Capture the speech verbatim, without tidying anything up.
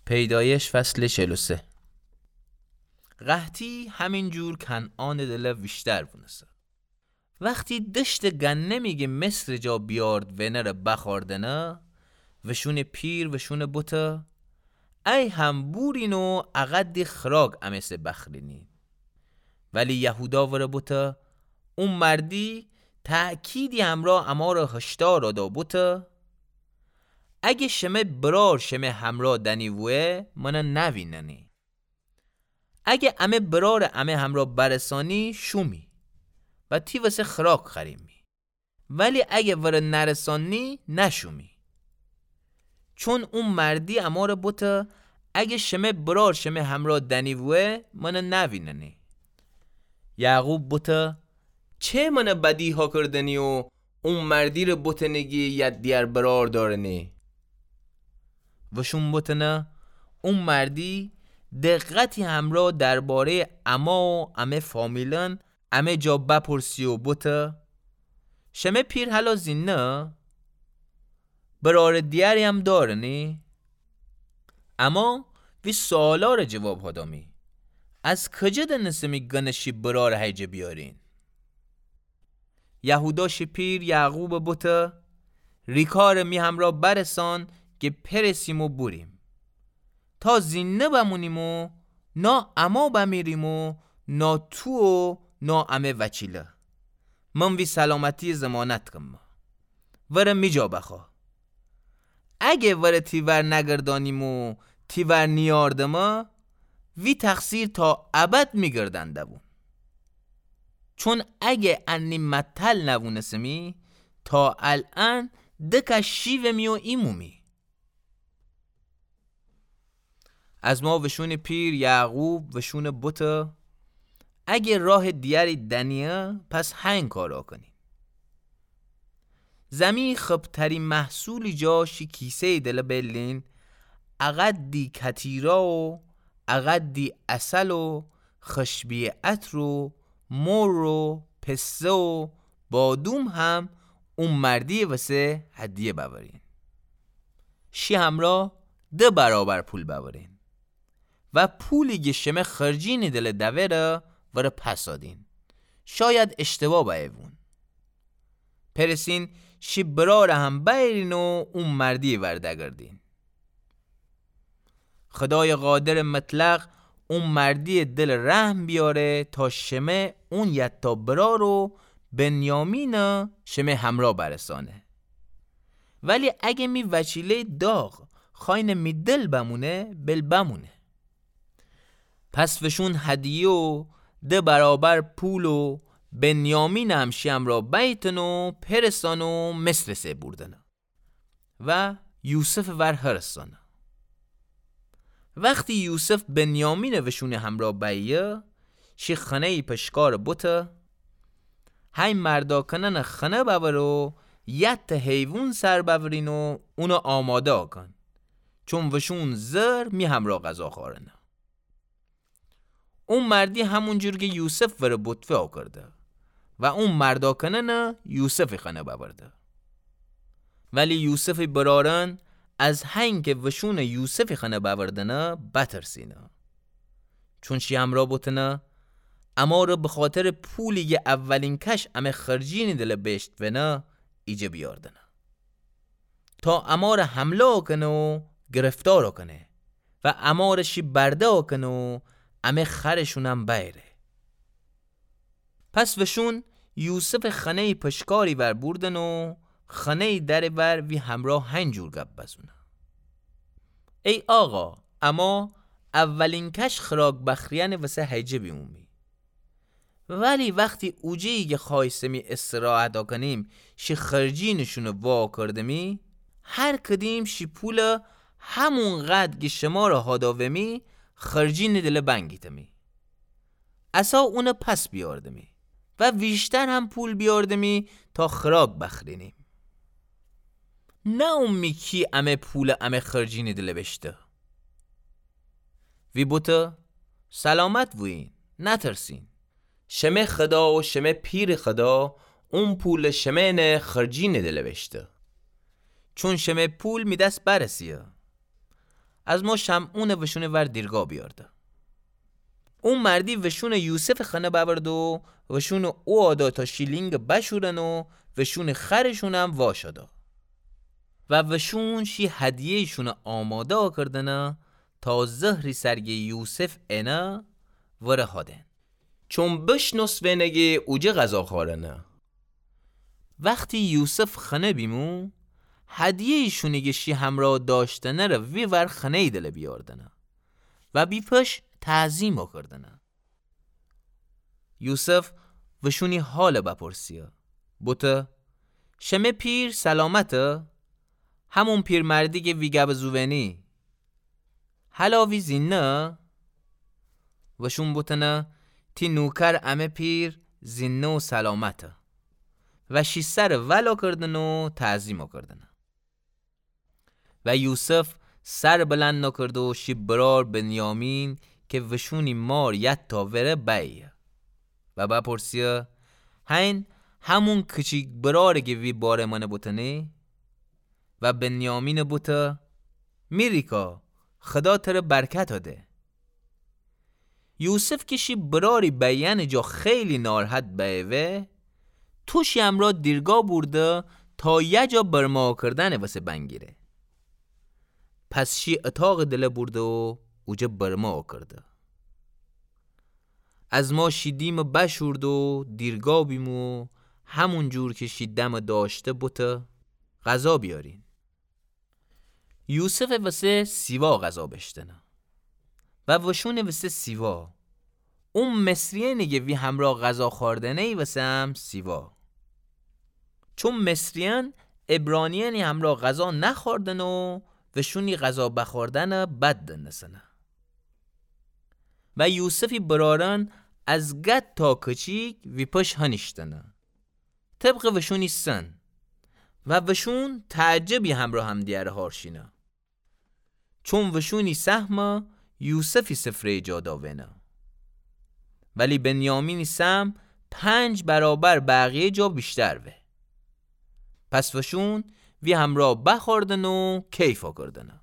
پیدایش فصل چل و سه. قحطی همین جور کنعانٚ دلَ ویشتر وونسه. وختی دشتٚ گندمی گه مصرٚ جا بیارد ونره بخوأردنه، وشونٚ پیر وشون بوته، ای هم بورین و اقدی خراک امه سه بخرینی. ولی یهودا وره بوته، او مردی تأکیدی همرأ امار هشدار دأ بوته، اگه شمه برار شمه همرأ دنی وه، من نویننی. اگه امه برار امه همرأ برسانی، شومی و تی وسه خراک خوریمی. ولی اگه وره نرسانی، نشومی. چون او مردی امار بوته، اگه شمه برار شمه همرأ دنی وه، من نویننی. یعقوب بوته، چه من بدی هاکردنی و او مردی ره بوتنی گی یاد دیگر برار دارنی؟ وشون بوتنه، او مردی دقتی همرأ دربارهٔ اما و امه فامیلأن امه جا بپرسی و بوته، شمه پیر هلا زینده؟ برارٚ دیگری هم دارنی؟ اما وی سؤالاره جواب هدامی، از کجه دنسمی گنه شی برار هیجه بیارین؟ یهودا شی پیر یعقوب بوته، ریکار می همرأ برسان گه پرسیم و بوریم. تا زینده بمونیم و نا اما بمیریم و نا تو و نا امه وچیله. من وی سلامتی ضمانت کم. وره می جا بخوا. اگه وره تی ور نگردانیم و تی ور نیاردمه، وی تقصیر تا ابد می گردن دوون. چون اگه انی متل نوونسمی، تا الأن دکه شیومی و ایمومی. از ما وشونٚ پیر یعقوب وشون بوته، اگه راه دیگری دنیه، پس هنگ کارا کنیم. زمی خبتری محصولی جا شی کیسه‌ی دله بیلین، اقدی کتیرا و اقدی عسل و خشبی عطر و مر و پسته و بادوم هم او مردی وسه هدیه بأورین. شی همرأ ده برابر پول بأورین و پولی گه شمه خرجینی دله دوره وره پس آدین. شاید اشتباه بأیوون. پرسین شی براره هم بأیرین و او مردی ور دگردین. خدای قادر مطلق او مردی دل رحم بیاره تا شمه اون یتا برار و بنیامین شمه همرأ برسانه. ولی اگه می وچیله داغ خاین می دل بمونه، بل بمونه. پس وشون هدیه و ده برابر پول و بنیامین هم شی همرأ بیتن و پرسان و مصر سه بوردنه و یوسف ور هرسانه. وختی یوسف بنیامین وشون همرأ بیه، شی خنه‌ی پشکار بوته، هی مردا کنن خنه بأور و یت حیوون سر بأورین و اون آماده آکن. چون وشون زر می همرأ غذا خارنه. او مردی همون جور که یوسف وره بوتفه آکرده و او مردا کنن یوسف خنه بأورده. ولی یوسف برارن از هنگ که وشون یوسف خنه بأوردنه بترسینه. چون شی همرأ بوتنه، امار بخاطر پولی که اولین کش امه خرجینی دله بیشت ونه، ایجه بیاردنه. تا امار حمله کنه و گرفتار کنه و امار شی برده کنه و امه خرشونم بیره. پس وشون یوسف خنه‌ی پشکاری ور بوردن و خنه‌ی در ور وی همرأ هنجور گپ بزونه. ای آقا، اما اولین کش خراک بخریان وسه هیجه بیومی. ولی وختی اوجه‌یی که خوایستمی استراحت آکنیم، شی خرجینشون وا کردمی، هر کدیم شی پول همون قدر که شمار هاداومی، خرجین دله بنگیتمی. اسا اون پس بیاردمی و ویشتر هم پول بیاردمی تا خراک بخرینیم. نه اومی کی امه پول امه خرجین دله بشته. وی بوته، سلامت بوین، نترسین. شمه خدا و شمه پیر خدا اون پول شمه نه خرجین دله بشته. چون شمه پول می دس برسیه. از ما شمعونٚ وشونٚ ور دیرگا بیارده. او مردی وشونٚ یوسفٚ خانه بأورد و وشونٚ او آدا تا شیلینگ بشورن و وشونٚ خرشونم واشادا. و وشون شی هدیه‌یشون آماده آکردنه تا زهری سرگه یوسف انه وره هادن. چون بشنوس وینگه اوجه غذا خوارنه. وختی یوسف خنه بیمو، هدیه‌یشونی گه شی همرا داشتنه ره وی ور خنه‌یٚ دله بیاردنه و بیپش تعظیم آکردنه. یوسف وشونی حال بپرسیه. بوته، شمه پیر سلامته؟ همون پیرمردی گه وی گب زووینی. هلا وی زینده؟ وشون بوتنه، تی نوکر امه پیر زینده و سلامته. و شی سر ول آکردن و تعظیم آکردنه. و یوسف سر بلند آکرده و شی برار بنیامین که وشونی مار یت تا وره بأیه. و بپرسیه، هین همون کچیک براره که وی باره منه بوتنی؟ و بنیامین بوته، می ریکا، خدا تره برکت ده. یوسف که شی براری بأیأنٚ جا خیلی ناراحت بأیه وه، تو شی امرا دیرگا بورده تا یه جا برمه آکردنٚ وسه بنگیره. پس شی اتاقٚ دله بورده و اوجه برمه آکرده. از ما شی دیم بشورده و دیرگا بیمو، همون جور که شی دم داشته بوته، غذا بیارین. یوسفٚ وسه سیوا غذا بشتنه و وشونٚ وسه سیوا. او مصریأنی گه وی همرا غذا خوردنه‌یٚ وسه هم سیوا. چون مصریأن عبرانیأنی همرا غذا نخوردن و وشونی غذا بخوردنه بد دنسنه. و یوسفی برارأن از گد تا کچیک وی پش هنیشتنه. طبقٚ وشونی سن و وشون تعجبی همرا همدیگر هارشینه. چون وشونی سهمه یوسفی سفره‌یٚ جا داوینه. ولی بنیامینی سهم پنج برابر بقیه جا ویشتر وه. پس وشون وی همرا بخوردن و کیف آکردنه.